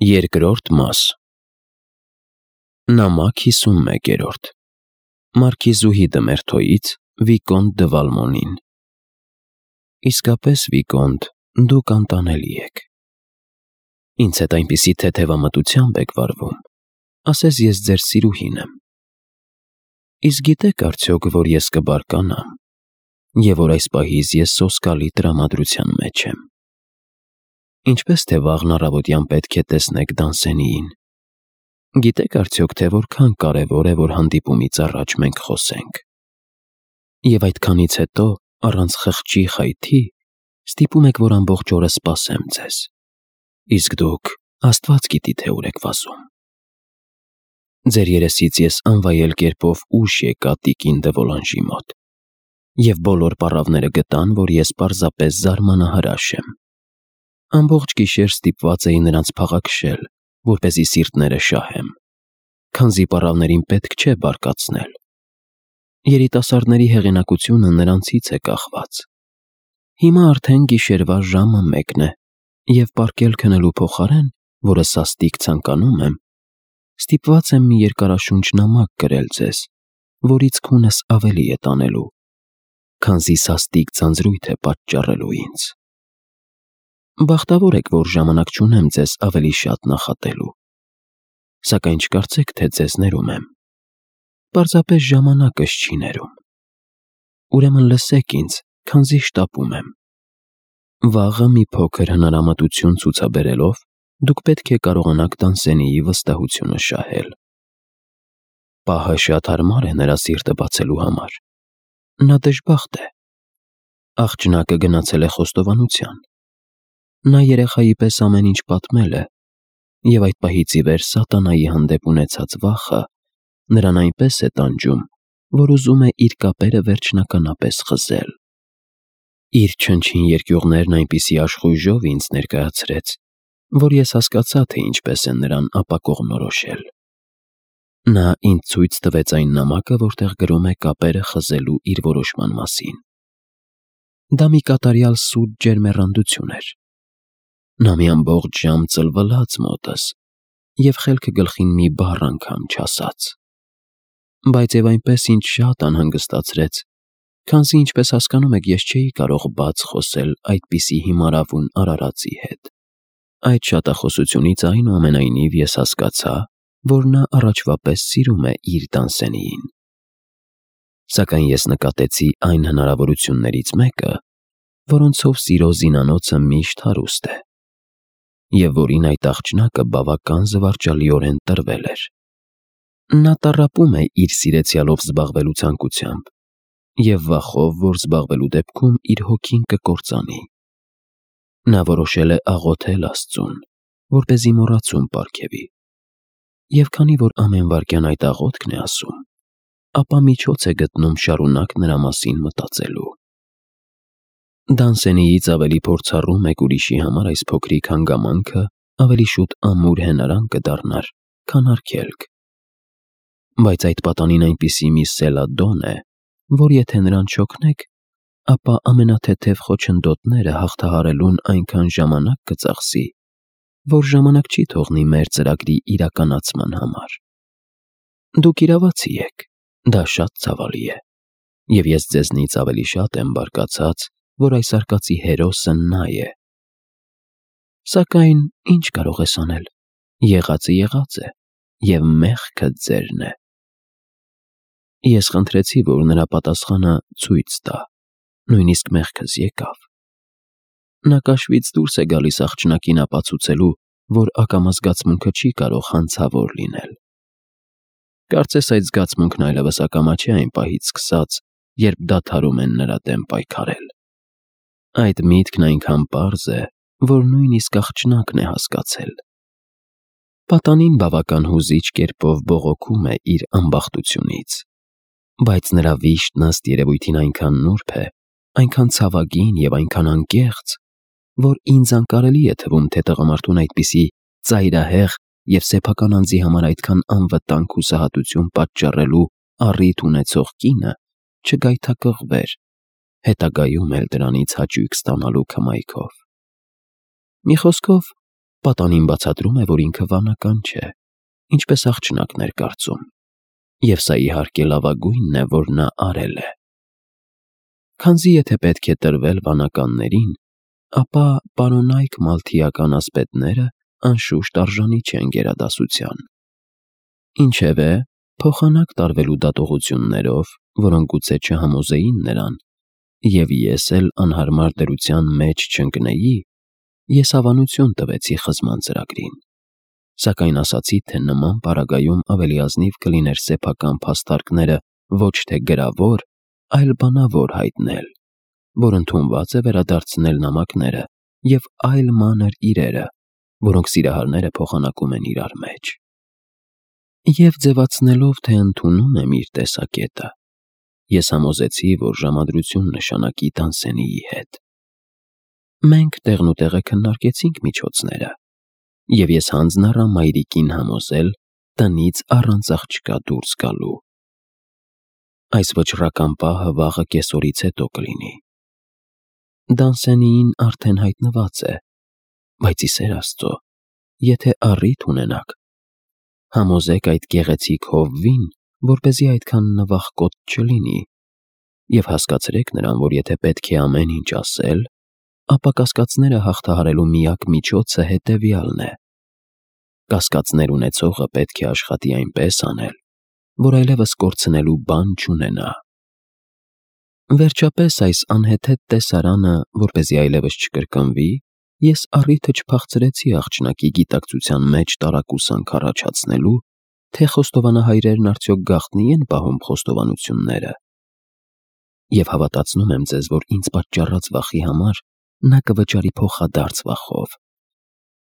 Երկրորդ մաս Նամակ 51 Մարքիզուհի Դմերթոյից Վիկոնտ դը Վալմոնին Իսկապես, Վիկոնտ, դուք անտանելի եք։ Ինձ հետ այնպիսի թեթևամտությամբ եք վարվում, ասես ես ձեր սիրուհին եմ։ Իսկ գիտեք արդյոք, որ ես կբարկանամ, և որ այս պահից ես սոսկալի տրամադրության մեջ եմ։ Ինչպես թե վաղն առավոտյան պետք է տեսնեք Դանսենիին։ Գիտեք արդյոք, թե որքան կարևոր է, որ հանդիպումից առաջ մենք խոսենք։ Եվ այդքանից հետո, առանց խղճի խայթի, ստիպում եք, որ ամբողջ օրը սպասեմ ձեզ։ Իսկ դուք Աստված գիտի, թե ուր եք վազում։ Ձեր երեսից ես անվայել կերպով ուշ եկա տիկին դը Վոլանժի մոտ, և բոլոր պառավները գտան, որ ես պարզապես զարմանահրաշ եմ։ Ամբողջ գիշեր ստիպված էի նրանց փաղաքշել, որպեսզի սիրտները շահեմ, քանզի պառավներին պետք չէ բարկացնել։ Երիտասարդների հեղինակությունը նրանցից է կախված։ Հիմա արդեն գիշերվա ժամը 1 է, և պառկել քնելու փոխարեն, որը սաստիկ ցանկանում եմ, ստիպված եմ մի երկարաշունչ նամակ գրել ձեզ, որից քունս ավելի է տանելու, քանզի սաստիկ ձանձրույթ է պատճառելու ինձ։ Բախտավոր եք, որ ժամանակ չունեմ ձեզ ավելի շատ նախատելու, սակայն չկարծեք, թե ձեզ ներում եմ։ Պարզապես ժամանակս չի ներում։ Ուրեմն լսեք ինձ, քանզի շտապում եմ։ Վաղը մի փոքր հնարամտություն ցուցաբերելով, դուք պետք է կարողանաք Դանսենիի վստահությունը շահել։ Պահը շատ հարմար է նրա սիրտը բացելու համար։ Նա դժբախտ է։ Աղջնակը գնացել է խոստովանության։ Նա երեխայի պես ամեն ինչ պատմել է, և այդ պահից ի վեր սատանայի հանդեպ ունեցած վախը նրան այնպես է տանջում, որ ուզում է իր կապերը վերջնականապես խզել։ Իր չնչին երկյուղներն այնպիսի աշխույժով ինձ ներկայացրեց, որ ես հասկացա, թե ինչպես է նրան ապակողմնորոշել։ Նա ինձ ցույց տվեց այն նամակը, որտեղ գրում է կապերը խզելու իր որոշման մասին։ Դա մի կատարյալ սուտ ջերմեռանդություն էր։ Նա մի ամբողջ ժամ ծլվլաց մոտս և խելքը գլխին մի բառ անգամ չասաց։ Բայց և այնպես ինձ շատ անհանգստացրեց, քանզի ինչպես հասկանում եք, ես չէի կարող բաց խոսել այդպիսի հիմարավուն արարածի հետ։ Այդ շատախոսությունից այնուամենայնիվ ես հասկացա, որ նա առաջվա պես սիրում է իր Դանսենիին։ Սակայն ես նկատեցի այն հնարավորություններից մեկը, որոնցով սիրո զինանոցը միշտ հարուստ է, և որին այդ աղջնակը բավական զվարճալիորեն տրվել էր։ Նա տառապում է իր սիրեցյալով զբաղվելու ցանկությամբ և վախով, որ զբաղվելու դեպքում իր հոգին կկործանի։ Նա որոշել է աղոթել Աստծուն, որպեսզի մոռացում պարգևի։ Եվ քանի որ ամեն վայրկյան այդ աղոթքն է ասում, ապա միջոց է գտնում շարունակ նրա մասին մտածելու։ Դանսենիից ավելի փորձառու մեկ ուրիշի համար այս փոքրիկ հանգամանքը ավելի շուտ ամուր հենարան կդառնար, քան արգելք։ Բայց այդ պատանին այնպիսի մի սելադոն է, որ եթե նրան չօգնեք, ապա ամենաթեթև խոչընդոտները հաղթահարելուն այնքան ժամանակ կծախսի, որ ժամանակ չի թողնի մեր ծրագրի իրականացման համար։ Դուք իրավացի եք, դա շատ ցավալի է, և ես ձեզնից ավելի շատ եմ բարկացած, որ այս արկածի հերոսը նա է։ Սակայն ինչ կարող ես անել, եղածը եղած է, և մեղքը ձերն է։ Ես խնդրեցի, որ նրա պատասխանը ցույց տա, նույնիսկ մեղքս եկավ։ Նա կաշվից դուրս է գալիս աղջնակին ապացուցելու, որ ակամա զգացմունքը չի կարող հանցավոր լինել։ Կարծես այդ զգացմունքն այլևս ակամա չէ այն պահից սկսած, երբ դադարում են նրա դեմ պայքարել։ Այդ միտքն այնքան պարզ է, որ նույնիսկ աղջնակն է հասկացել։ Պատանին բավական հուզիչ կերպով բողոքում է իր ամբախտությունից, բայց նրա վիշտն ըստ երևույթին այնքան նուրբ է, այնքան ցավագին և այնքան անկեղծ, որ ինձ անկարելի է թվում, թե տղամարդուն այդպիսի ծայրահեղ և սեփական անձի համար այդքան անվտանգ հուսահատություն պատճառելու առիթ ունեցող կինը չգայթակղվեր, հետագայում էլ դրանից հաճույք ստանալու քմայքով։ Մի խոսքով, Պատանին բացատրում է, որ ինքը վանական չէ, ինչպես աղջնակն էր կարծում, և սա իհարկե լավագույնն է, որ նա արել է։ Քանզի եթե պետք է տրվել վանականներին, ապա պարոնայք մալթիական ասպետները անշուշտ արժանի չեն գերադասության։ Ինչևէ, փոխանակ տարվելու դատողություններով, որոնք գուցե չհամոզեին նրան, և ես էլ անհարմար դրության մեջ չընկնեի, ես հավանություն տվեցի խզման ծրագրին, սակայն ասացի, թե նման պարագայում ավելի ազնիվ կլիներ սեփական փաստարկները ոչ թե գրավոր, այլ բանավոր հայտնել, որ ընդունված է վերադարձնել նամակները և այլ մանր իրերը, որոնք սիրահարները փոխանակում են իրար մեջ։ Եվ ձևացնելով, թե ընդունում եմ իր տեսակետը, ես համոզեցի, որ ժամադրություն նշանակի Դանսենիի հետ։ Մենք տեղնուտեղը քննարկեցինք միջոցները, և ես հանձն առա մայրիկին համոզել տնից առանց աղջկա դուրս գալու։ Այս վճռական պահը վաղը կեսօրից հետո կլինի։ Դանսենիին արդեն հայտնված է, բայց ի սեր Աստծո, եթե առիթ ունենաք, համոզեք այդ գեղեցիկ հովվին, որպեսզի այդքան նվախկոտ չլինի, և հասկացրեք նրան, որ եթե պետք է ամեն ինչ ասել, ապա կասկածները հաղթահարելու միակ միջոցը հետևյալն է. կասկածներ ունեցողը պետք է աշխատի այնպես անել, որ այլևս կորցնելու բան չունենա։ Վերջապես այս անհեթեթ տեսարանը, որպեսզի այլևս չկրկնվի, ես առիթը չփախցրեցի աղջնակի գիտակցության մեջ տարակուսանք առաջացնելու, թե խոստովանահայրերն արդյոք գաղտնի են պահում խոստովանությունները։ Եվ հավատացնում եմ ձեզ, որ ինձ պատճառած վախի համար նա կվճարի փոխադարձ վախով,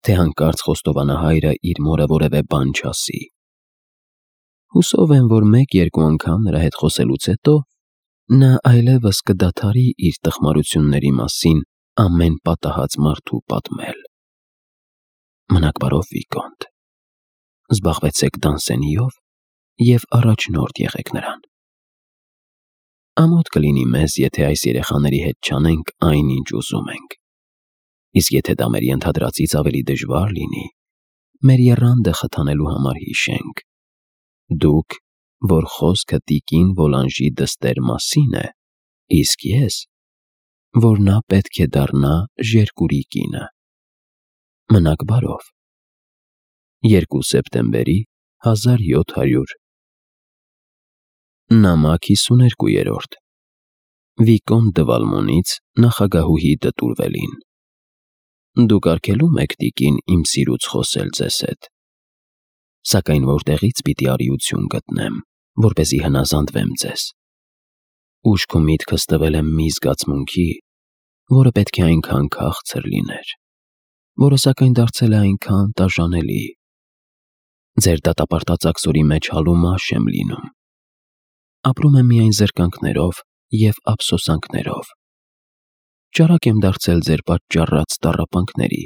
թե հանկարծ խոստովանահայրը իր մորը որևէ բան չասի։ Հուսով եմ, որ մեկ-երկու անգամ նրա հետ խոսելուց հետո նա այլևս կդադարի իր տխմարությունների մասին ամեն պատահած մարդու պատմել։ Մնաք բարով, Վիկոնտ, զբաղվեցեք Դանսենիով և առաջնորդ եղեք նրան։ Ամոթ կլինի մեզ, եթե այս երեխաների հետ չանենք այն, ինչ ուզում ենք, իսկ եթե դա մեր ենթադրածից ավելի դժվար լինի, մեր եռանդը խթանելու համար հիշենք. դուք, որ խոսքը տիկին Վոլանժի դստեր մասին է, իսկ ես, որ նա պետք է դառնա Ժերկուրի կինը։ Մնաք բարով։ 2 սեպտեմբերի 1700 Նամակ 52-րդ Վիկոն դը Վալմոնից նախագահուհի Դտուրվելին։ Դուք արգելում եք, տիկին, իմ սիրուց խոսել ձեզ հետ, սակայն որտեղից պիտի արիություն գտնեմ, որպեսզի հնազանդվեմ ձեզ։ Ուշք ու միտքս տվել եմ մի զգացմունքի, որը պետք է այնքան քաղցր լիներ, որը սակայն դարձել է այնքան տաժանելի։ Ձեր դատապարտած աքսորի մեջ հալումաշ եմ լինում։ Ապրում եմ միայն զրկանքներով և ափսոսանքներով։ Ճարակ եմ դարձել ձեր պատճառած տառապանքների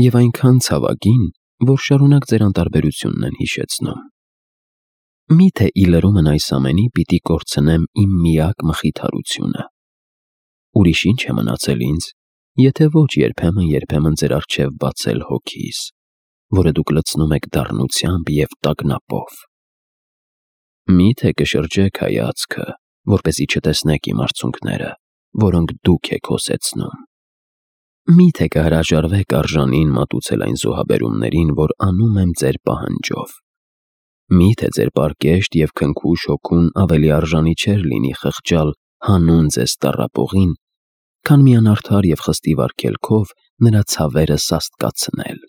և այնքան ցավագին, որ շարունակ ձեր անտարբերությունն են հիշեցնում։ Միթե ի լրումն այս ամենի պիտի կորցնեմ իմ միակ մխիթարությունը։ Ուրիշ ինչ է մնացել ինձ, եթե ոչ երբեմն ձեր առջև բացել հոգիս, որը դուք լցնում եք դառնությամբ և տագնապով։ Միթե կշրջեք հայացքը, որպեսզի չտեսնեք իմ արցունքները, որոնք դուք եք հոսեցնում։ Միթե կհրաժարվեք արժանին մատուցել այն զոհաբերումներին, որ անում եմ ձեր պահանջով։ Միթե ձեր պարկեշտ և քնքուշ հոգուն ավելի արժանի չէր լինի խղճալ հանուն ձեզ տառապողին, քան մի անարդար և խստիվ արգելքով նրա ցավերը սաստկացնել։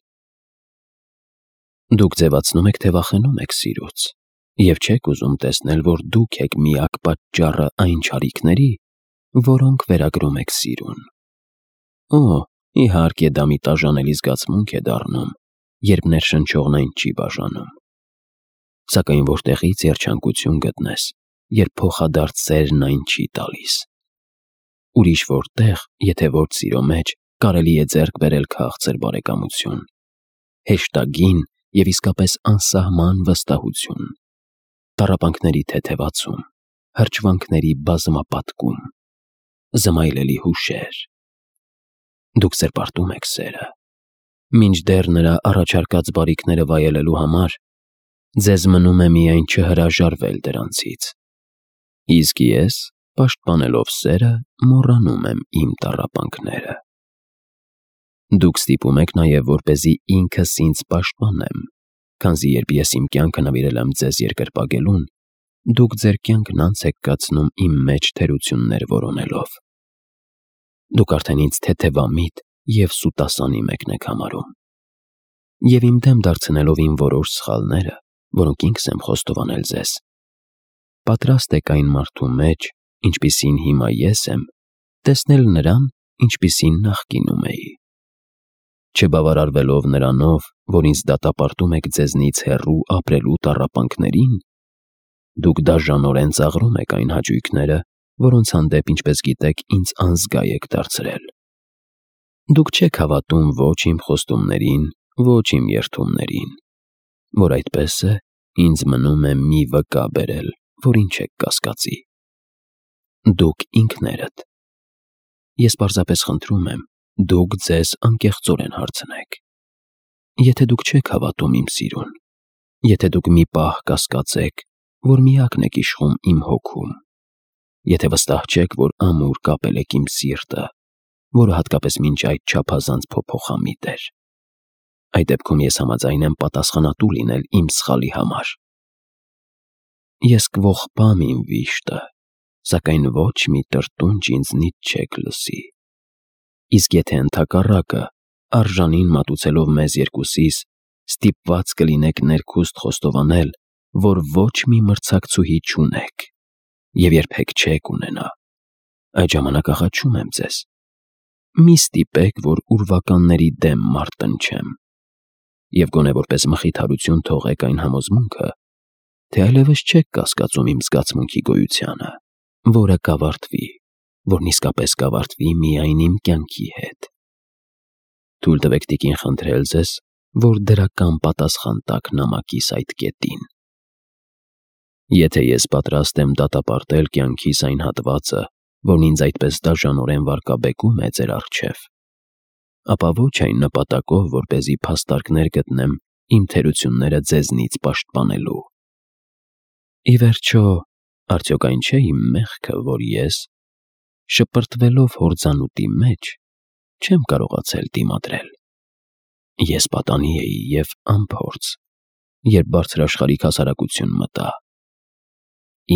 Դուք ձևացնում եք, թե վախենում եք սիրուց, և չեք ուզում տեսնել, որ դուք եք միակ պատճառը այն չարիքների, որոնք վերագրում եք սիրուն։ Օ, իհարկե դա մի տաժանելի զգացմունք է դառնում, երբ ներշնչողն այն չի բաժանում։ Սակայն որտեղից երջանկություն գտնես, երբ փոխադարձ սերն այն չի տալիս։ Ուրիշ որտեղ, եթե ոչ սիրո մեջ, կարելի է ձեռք բերել քաղցր բարեկամություն, հեշտագին և իսկապես անսահման վստահություն, տառապանքների թեթևացում, հրճվանքների բազմապատկում, զմայլելի հուշեր։ Դուք սրբարտում եք սերը, Մինչդեռ նրա առաջարկած բարիքները վայելելու համար ձեզ մնում է միայն չհրաժարվել դրանցից, իսկ ես, պաշտպանելով սերը, մոռանում եմ իմ տառապանքները։ Դուք ստիպում եք նաև, որպեսզի ինքս ինձ պաշտպանեմ, քանզի երբ ես իմ կյանքը նվիրել եմ ձեզ երկրպագելուն, դուք ձեր կյանքն անց եք կացնում իմ մեջ թերություններ որոնելով։ Դուք արդեն ինձ թեթևամիտ և սուտասանի մեկն եք համարում։ Եվ իմ դեմ դարձնելով իմ որոշ սխալները, որոնք ինքս եմ խոստովանել ձեզ, պատրաստ եք այն մարդու մեջ, ինչպիսին հիմա ես եմ, տեսնել նրան, ինչպիսին նախկինում էի։ Չբավարարվելով նրանով, որ ինձ դատապարտում եք ձեզնից հեռու ապրելու տառապանքներին, դուք դաժանորեն ծաղրում եք այն հաճույքները, որոնց հանդեպ, ինչպես գիտեք, ինձ անզգա եք դարձրել։ Դուք չեք հավատում ոչ իմ խոստումներին, ոչ իմ երդումներին, որ այդպես է, ինձ մնում է մի վկա բերել, որին չեք կասկածի։ Դուք ինքներդ։ Ես պարզապես խնդրում եմ, դուք ձեզ անկեղծորեն հարցնեք։ Եթե դուք չեք հավատում իմ սիրուն, եթե դուք մի պահ կասկածեք, որ միակն եք իշխում իմ հոգում, եթե վստահ չեք, որ ամուր կապել եք իմ սիրտը, որը հատկապես մինչ այդ չափազանց փոփոխամիտ էր, այդ դեպքում ես համաձայն եմ պատասխանատու լինել իմ սխալի համար։ Ես կողպամ իմ վիշտը, սակայն ոչ մի տրտունջ ինձնից չեք լսի։ Իսկ եթե ընդհակառակը, արժանին մատուցելով մեզ երկուսիս, ստիպված կլինեք ներքուստ խոստովանել, որ ոչ մի մրցակցուհի չունեք և երբեք չեք ունենա, այդ ժամանակ աղաչում եմ ձեզ, մի ստիպեք, որ ուրվականների դեմ մարտնչեմ, և գոնե որպես մխիթարություն թողեք այն համոզմունքը, թե այլևս չեք կասկածում իմ զգացմունքի գոյությանը, որը կավարտվի, որն իսկապես կավարտվի միայն իմ կյանքի հետ։ Թույլ տվեք տիկին խնդրել ձեզ, որ դրական պատասխան տաք նամակիս այդ կետին։ Եթե ես պատրաստ եմ դատապարտել կյանքիս այն հատվածը, որն ինձ այդպես դաժանորեն վարկաբեկում է ձեր առջև, ապա ոչ այն նպատակով, որպեսզի փաստարկներ գտնեմ իմ թերությունները ձեզնից պաշտպանելու։ Ի վերջո, արդյոք այն չէ իմ մեղքը, որ ես, շպրտվելով հորձանուտի մեջ, չեմ կարողացել դիմադրել։ Ես պատանի էի և անփորձ, երբ բարձրաշխարհիկ հասարակություն մտա։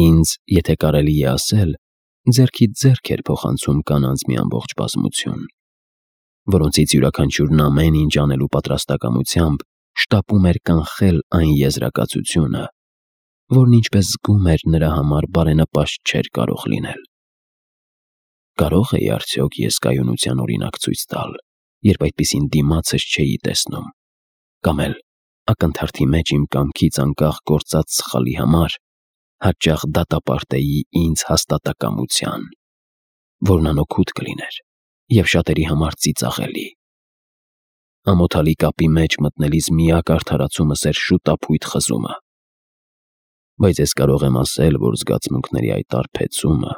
Ինձ, եթե կարելի է ասել, ձեռքից ձեռք էր փոխանցում կանանց մի ամբողջ բազմություն, որոնցից յուրաքանչյուրն ամեն ինչ անելու պատրաստակամությամբ շտապում էր կանխել այն եզրակացությունը, որն ինչպես զգում էր նրա համար բարենպաստ չէր կարող լինել։ Կարո՞ղ էի արդյոք ես կայունության օրինակ ցույց տալ, երբ այդպիսին դիմացս չէի տեսնում, կամ էլ ակնթարթի մեջ իմ կամքից անկախ գործած սխալի համար հաճախ դատապարտեի ինձ հաստատակամության, որն անօգուտ կլիներ և շատերի համար ծիծաղելի։ Ամոթալի կապի մեջ մտնելիս միակ արդարացումս էր շուտափույթ խզումը։ Բայց ես կարող եմ ասել, որ զգացմունքների այդ արբեցումը,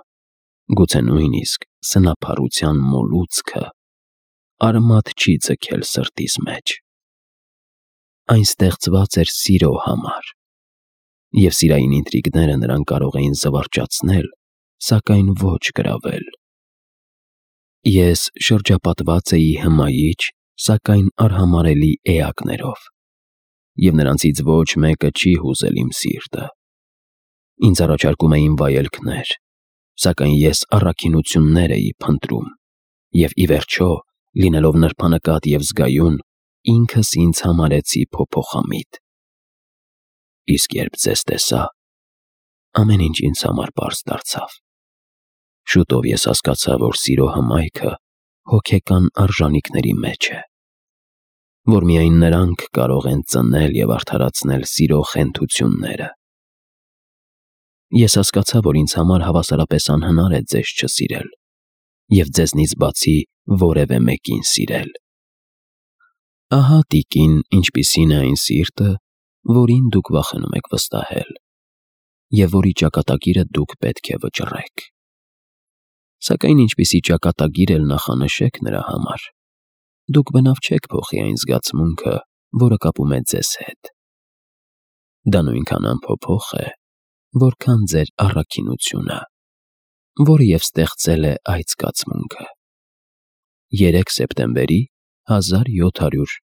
գուցե նույնիսկ սնափառության մոլուցքը, արմատ չի ձգել սրտիս մեջ։ Այն ստեղծված էր սիրո համար, և սիրային ինտրիգները նրան կարող էին զվարճացնել, սակայն ոչ գրավել։ Ես շրջապատված էի հմայիչ, սակայն արհամարհելի էակներով, և նրանցից ոչ մեկը չի հուզել իմ սիրտը։ Ինձ առաջարկում էին վայելքներ, սակայն ես առաքինություններ էի փնտրում, և ի վերջո, լինելով նրբանկատ և զգայուն, ինքս ինձ համարեցի փոփոխամիտ։ Իսկ երբ ձեզ տեսա, ամեն ինչ ինձ համար պարզ դարձավ։ Շուտով ես հասկացա, որ սիրո հմայքը հոգեկան արժանիքների մեջ է, որ միայն նրանք կարող են ծնել և արդարացնել սիրո խենթությունները։ Ես հասկացա, որ ինձ համար հավասարապես անհնար է ձեզ չսիրել և ձեզնից բացի որևէ մեկին սիրել։ Ահա, տիկին, ինչպիսին է այն սիրտը, որին դուք վախենում եք վստահել, և որի ճակատագիրը դուք պետք է վճռեք։ Սակայն ինչպիսի ճակատագիր էլ նախանշեք նրա համար, դուք բնավ չեք փոխի այն զգացմունքը, որը կապում է ձեզ հետ։ Դա նույնքան անփոփոխ է, որքան ձեր առաքինությունը, որը և ստեղծել է այդ զգացմունքը։ 3 սեպտեմբերի 1700